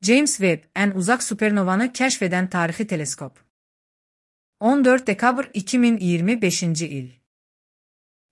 James Webb, en uzak supernovanı keşfeden tarihi teleskop. 14 dekabr 2025 il.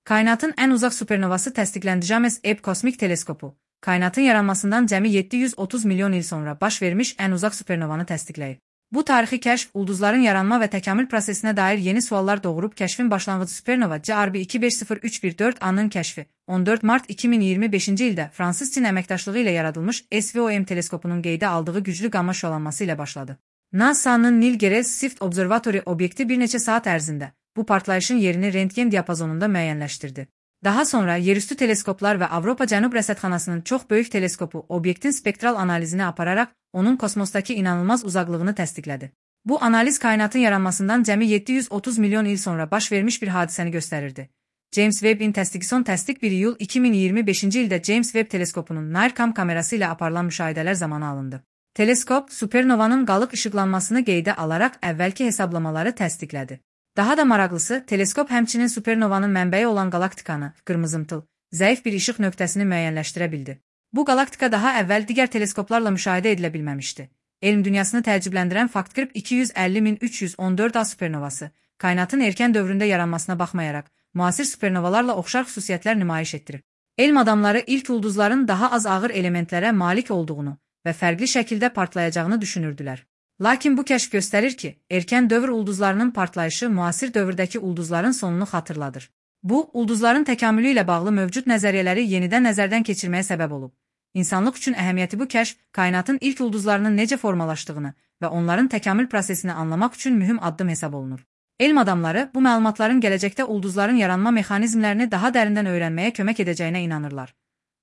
Kainatın en uzak supernovası təsdiqləndi. James Webb kosmik teleskopu, kainatın yaranmasından cəmi 730 milyon il sonra baş vermiş en uzak supernovanı təsdiqləyib. Bu tarixi kəşf, ulduzların yaranma və təkamül prosesinə dair yeni suallar doğurub. Kəşfin başlanğıcı supernova CRB 250314 A-nın kəşfi 14 mart 2025-ci ildə fransız Çin əməkdaşlığı ilə yaradılmış SVOM teleskopunun qeydə aldığı güclü qamma şüalanması ilə başladı. NASA-nın Neil Gehrels Swift Observatory obyekti bir neçə saat ərzində bu partlayışın yerini rentgen diapazonunda müəyyənləşdirdi. Daha sonra yerüstü teleskoplar və Avropa Cənub Rəsədxanasının çox böyük teleskopu obyektin spektral analizini apararaq onun kosmosdakı inanılmaz uzaqlığını təsdiqlədi. Bu analiz kainatın yaranmasından cəmi 730 milyon il sonra baş vermiş bir hadisəni göstərirdi. James Webb'in təsdiqi təsdiq 1 iyul 2025-ci ildə James Webb teleskopunun NIRCam kamerası ilə aparılan müşahidələr zamanı alındı. Teleskop, supernovanın qalıq işıqlanmasını qeydə alaraq əvvəlki hesablamaları təsdiqlədi. Daha da maraqlısı, teleskop həmçinin supernovanın mənbəyi olan qalaktikanı, qırmızımtıl, zəif bir işıq nöqtəsini müəyyənləşdirə bildi. Bu qalaktika daha əvvəl digər teleskoplarla müşahidə edilə bilməmişdi. Elm dünyasını təəccübləndirən fakt qırb 250.314 A supernovası, kainatın erkən dövründə yaranmasına baxmayaraq, müasir supernovalarla oxşar xüsusiyyətlər nümayiş etdirir. Elm adamları ilk ulduzların daha az ağır elementlərə malik olduğunu və fərqli şəkildə partlayacağını düşünürdülər. Lakin bu kəşf göstərir ki, erkən dövr ulduzlarının partlayışı müasir dövrdəki ulduzların sonunu xatırladır. Bu, ulduzların təkamülü ilə bağlı mövcud nəzəriyyələri yenidən nəzərdən keçirməyə səbəb olub. İnsanlıq üçün əhəmiyyəti bu kəşf, kainatın ilk ulduzlarının necə formalaşdığını və onların təkamül prosesini anlamaq üçün mühüm addım hesab olunur. Elm adamları bu məlumatların gələcəkdə ulduzların yaranma mexanizmlərini daha dərindən öyrənməyə kömək edəcəyinə inanırlar.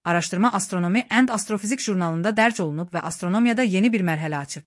Araşdırma Astronomy and Astrofizik jurnalında dərc olunub və astronomiyada yeni bir mərhələ açıb.